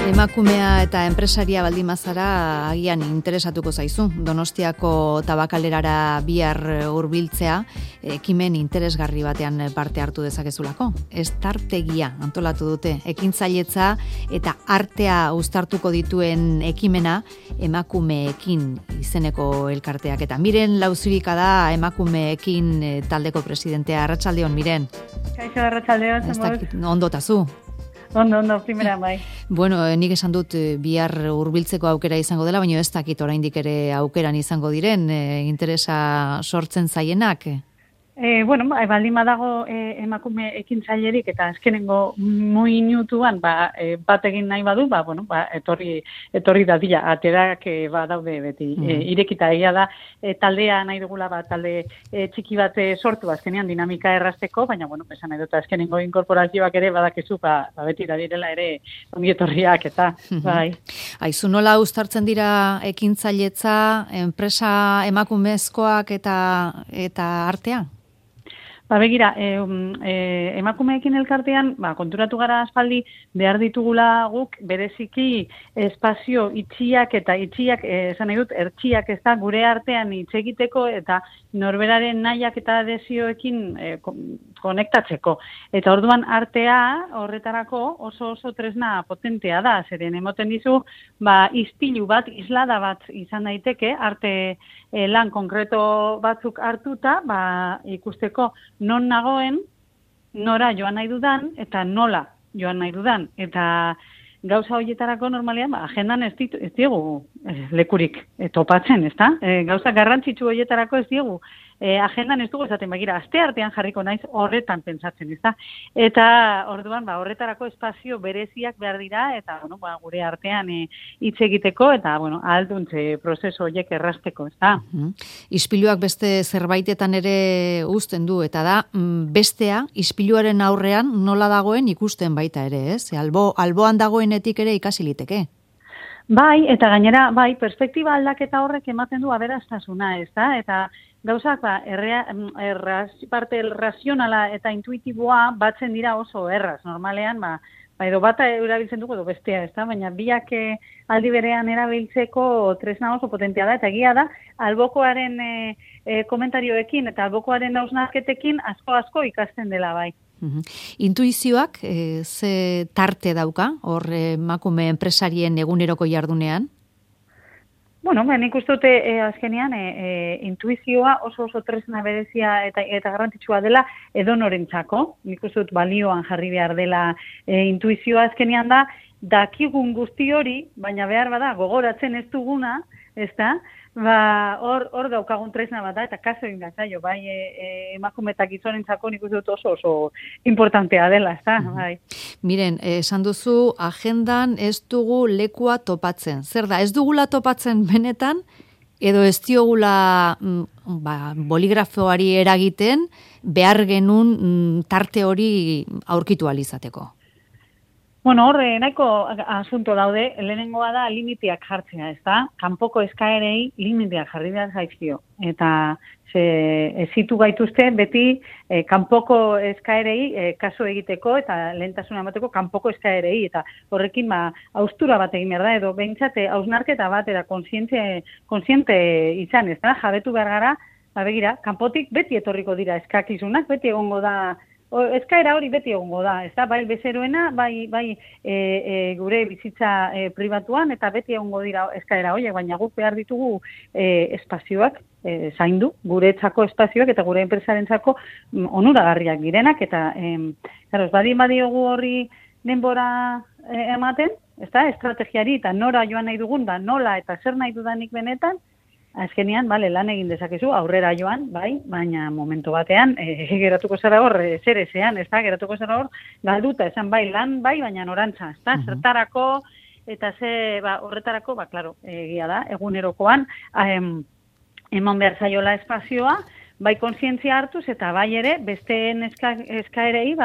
Emakumea eta enpresaria baldin bazara agian interesatuko zaizu. Donostiako tabakalerara bihar hurbiltzea ekimen interesgarri batean parte hartu dezakezulako. Estartegia antolatu dute. Ekintzailetza eta artea uztartuko dituen ekimena emakumeekin izeneko elkarteak. Eta Miren Lauzirika da emakumeekin taldeko presidentea. Arratsaldeon, Miren. Kaixo, arratsaldeon. Ondotazu. Ondo, primera bai. Bueno, nik esan dut bihar hurbiltzeko aukera izango dela, baina ez dakit oraindik ere aukeran izango diren, interesa sortzen zaienak. Baldin badago emakume ekintzailerik eta azkenengo minutuan bat egin nahi badu, etorri dadila, aterak badaude beti. Irekita egia da, taldea nahi dugula, talde txiki bat sortu azkenean dinamika errazteko, baina, esan nahi dut azkenengo inkorporazioak ere badakizu, beti da direla ere ongietorriak eta, bai. Aizu, nola uztartzen dira ekintzailetza, enpresa emakumezkoak eta artea? Begira, emakumeekin elkartean, konturatu gara aspaldi behar ditugula guk bereziki espazio itxiak eta itxiak, esan nahi dut, ertxiak ez da gure artean hitz egiteko eta norberaren nahiak eta desioekin konektatzeko. Eta orduan artea horretarako oso tresna potentea da, zeren emoten dizu, ispilu bat, islada bat izan daiteke, arte lan konkreto batzuk hartuta, ikusteko non nagoen, nora joan nahi dudan, eta nola joan nahi dudan. Eta gauza horietarako normalean, agendan ez diegu lekurik topatzen, ezta? Gauza garrantzitsu horietarako ez diegu agendan ez dugu esaten, aste artean jarriko naiz horretan pentsatzen, ezta? Eta orduan, horretarako espazio bereziak behar dira, eta gure artean hitz egiteko, eta ahalduntze prozesu horiek errazteko, ezta? Ispiluak beste zerbaitetan ere uzten du, eta da, bestea, ispiluaren aurrean nola dagoen ikusten baita ere, ez? Alboan dagoenetik ere ikasi liteke. Bai, eta gainera, perspektiba aldaketa horrek ematen du aberastasuna, ezta? Eta gauzak, parte razionala eta intuitiboa batzen dira oso erraz. Normalean, edo bata erabiltzen dugu edo bestea, ezta? Baina biak aldi berean erabiltzeko tresna oso potentea da, eta egia da, albokoaren komentarioekin eta albokoaren hausnarketekin asko ikasten dela bai. Intuizioak ze tarte dauka, hor emakume enpresarien eguneroko jardunean? Nik uste dute azkenean intuizioa oso tresna berezia eta garrantzitsua dela edonorentzako. Nik uste dut balioan jarri behar dela intuizioa azkenean da, dakigun guzti hori, baina behar bada gogoratzen ez duguna, ezta? Hor daukagun tresna bat da, eta kaso egin da zaio, emakume eta gizonentzako nik uste dut oso importantea dela, ezta? Miren, esan duzu, agendan ez dugu lekua topatzen. Zer da, ez dugula topatzen benetan, edo ez diogula boligrafoari eragiten, behar genuen tarte hori aurkitu alizateko? Horre, nahiko asunto daude, lehenengoa da limiteak jartzea, ezta? Kanpoko eskaerei limiteak jarri behar zaizkio. Eta ezitu gaituzte beti kanpoko eskaerei kaso egiteko eta lehentasuna emateko kanpoko eskaerei. Eta horrekin haustura bat egin behar da, edo behintzate hausnarketa bat eta kontziente izan, ezta? Jabetu behar gara, begira, kanpotik beti etorriko dira eskakizunak, beti egongo da, eskaera hori beti egongo da, ez da, bai bezeroena, bai gure bizitza pribatuan, eta beti egongo dira eskaera horiek, baina guk behar ditugu espazioak zaindu, guretzako espazioak eta gure enpresarentzako onuragarriak direnak, eta ez badiogu horri denbora ematen, ez da, estrategiari eta nora joan nahi dugun, nola eta zer nahi dudanik benetan, azkenean, lan egin dezakezu, aurrera joan, baina momentu batean, geratuko zara hor, zer ezean, ez da, geratuko zara hor, galduta, esan lan, baina norantza, ez da, zertarako, eta horretarako, klaro, egia da, egunerokoan, eman behar zaiola espazioa, kontzientzia hartuz, eta ere, besteen eskaerei,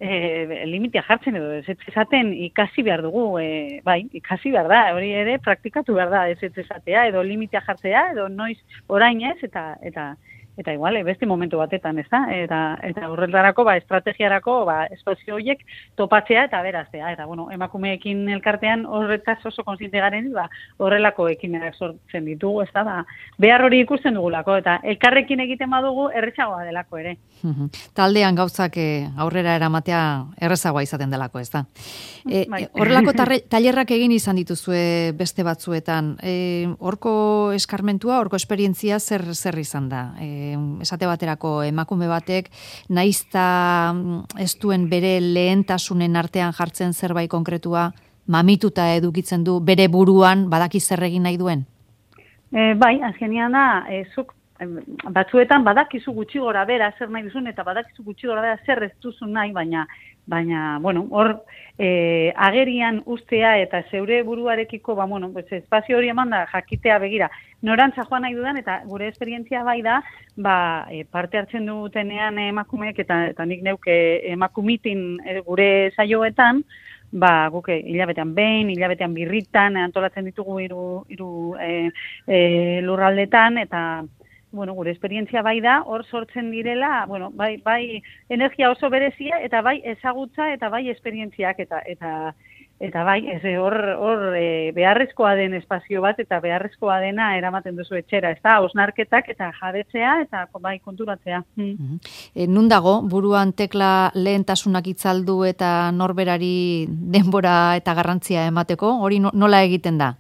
limitea jartzen edo ez esaten ikasi behar dugu, ikasi behar da, hori ere praktikatu behar da ez esatea edo limitea jartzea edo noiz orain ez eta eta igual, beste momentu batetan, ez da? Eta horretarako, estrategiarako, espazio horiek topatzea eta beraztea. Eta, bueno, emakumeekin elkartean horretaz oso kontziente garen, horrelako ekimenak sortzen ditugu, ez da? Behar hori ikusten dugulako, eta elkarrekin egiten badugu errezagoa delako ere. Taldean gauzak aurrera eramatea errezagoa izaten delako, ez da? Horrelako tailerrak egin izan dituzue beste batzuetan. Horko eskarmentua, horko esperientzia zer izan da? Esate baterako emakume batek naizta ez duen bere lehentasunen artean jartzen zerbait konkretua mamituta edukitzen du bere buruan badaki zer egin nahi duen? Bai, azkenean da, zuk batzuetan badakizu gutxi gora bera zer nahi duzun eta badakizu gutxi gora bera zer ez duzun nahi, baina, bueno, hor agerian ustea eta zeure buruarekiko, espazio hori eman da jakitea begira. Norantza joan nahi dudan, eta gure esperientzia bai da, parte hartzen dutenean emakumeek, eta nik neuke emakumitin gure saioetan, guk hilabetean behin, hilabetean birritan, antolatzen ditugu hiru lurraldetan, eta gure esperientzia bai da, hor sortzen direla, bai energia oso berezia, eta bai ezagutza, eta bai esperientziak, eta bai, hor beharrezkoa den espazio bat, eta beharrezkoa dena eramaten duzu etxera, ez da, osnarketak eta jabetzea, eta bai konturatzea. Nun dago, buruan tekla lehentasunak itzaldu eta norberari denbora eta garrantzia emateko, hori nola egiten da?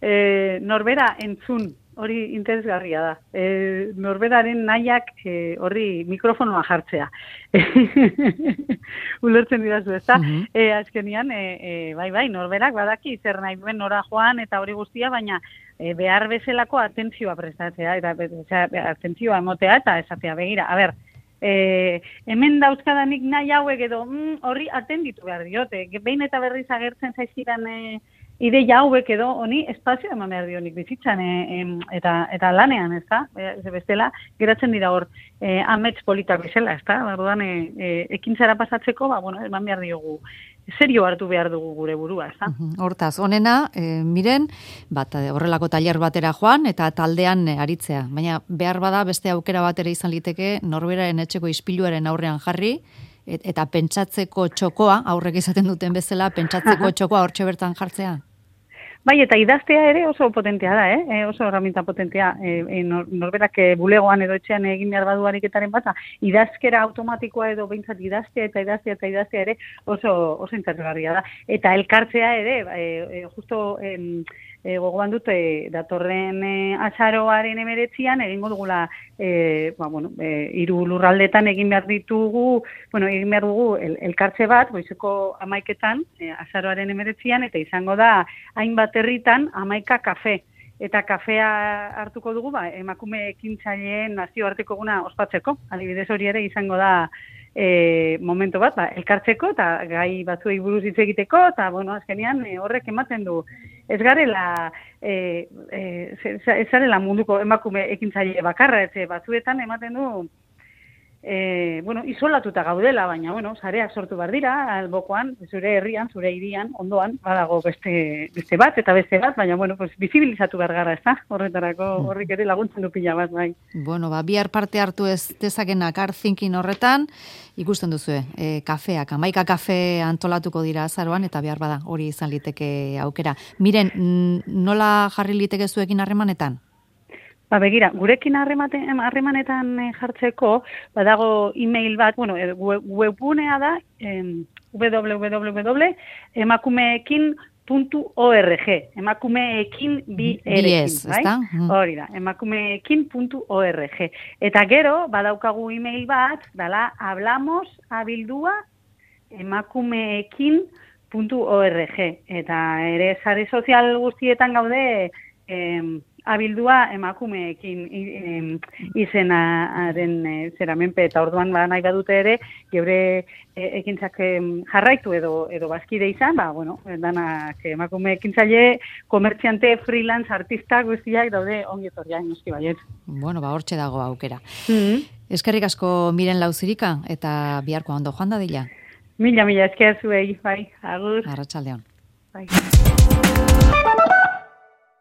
Norbera entzun, hori interesgarria da. Norberaren nahiak horri mikrofonoa jartzea. Ulertzen didazu, ez da? Azkenian, bai, norberak badaki zer nahi duen nora joan eta hori guztia, baina behar bezalako atentzioa prestatzea, eta atentzioa emotea eta esatea begira. A ber, hemen dauzkadanik nahi hauek edo horri atenditu behar diote. Behin eta berriz agertzen zaizkidan ideia hauek edo honi espazio eman behar dionik bizitzan eta lanean, ez da? Bestela, geratzen dira hor amets politak bezala, ez da? Barruan, ekintzara pasatzeko, eman behar diogu, serio hartu behar dugu gure burua, ez da? Hortaz, honena, miren, horrelako tailer batera joan eta taldean aritzea. Baina behar bada beste aukera batera izan liteke norberaren etxeko ispiluaren aurrean jarri, eta pentsatzeko txokoa, aurrek izaten duten bezala, pentsatzeko txokoa hortxe bertan jartzea? Bai, eta idaztea ere oso potentea da, oso herramienta potentea. Norberak bulegoan edo etxean egin behar badu ariketaren bat, idazkera automatikoa edo behintzat idaztea ere oso interesgarria da. Eta elkartzea ere, justo gogoan dut, datorren azaroaren 19an egingo dugula, hiru lurraldetan egin behar dugu elkartze bat, goizeko 11etan, azaroaren 19an, eta izango da hainbat herritan 11 kafe. Eta kafea hartuko dugu, emakume ekintzaileen nazioarteko eguna ospatzeko. Adibidez hori ere izango da momento bat, elkartzeko eta gai batzuei buruz hitz egiteko, eta azkenean horrek ematen du. Ez garela, ez garela munduko emakume ekintzaile bakarra, batzuetan ematen du, isolatuta gaudela, baina, sareak sortu behar dira, albokoan, zure herrian, zure hirian, ondoan, badago beste bat, eta beste bat, baina, bizibilizatu behar gara, ez da? Horretarako horrik ere laguntzen du pila bat, bai. Bihar parte hartu ez dezakenak art thinking horretan, ikusten duzue, kafeak, 11 kafe antolatuko dira azaroan, eta behar bada hori izan liteke aukera. Miren, nola jarri liteke zuekin harremanetan? Begira, gurekin harremanetan jartzeko, badago e-mail bat, webgunea da, www.emakumeekin.org, emakumeekin bai? Hori da, emakumeekin.org. Eta gero, badaukagu e-mail bat, dala, hablamosabildua@emakumeekin.org. Eta ere sare sozial guztietan gaude, abildua emakumeekin izenaren zeramenpe, eta orduan nahi badute ere, geure ekintzak jarraitu edo bazkide izan, danak emakume ekintzaile, komertziante, freelance, artista guztiak daude ongi etorriak noski baiet. Hortxe dago aukera. Eskerrik asko Miren Lauzirika, eta biharko ondo joan da dila. Mila esker zuei, bai, agur. Arratsaldeon. Bai.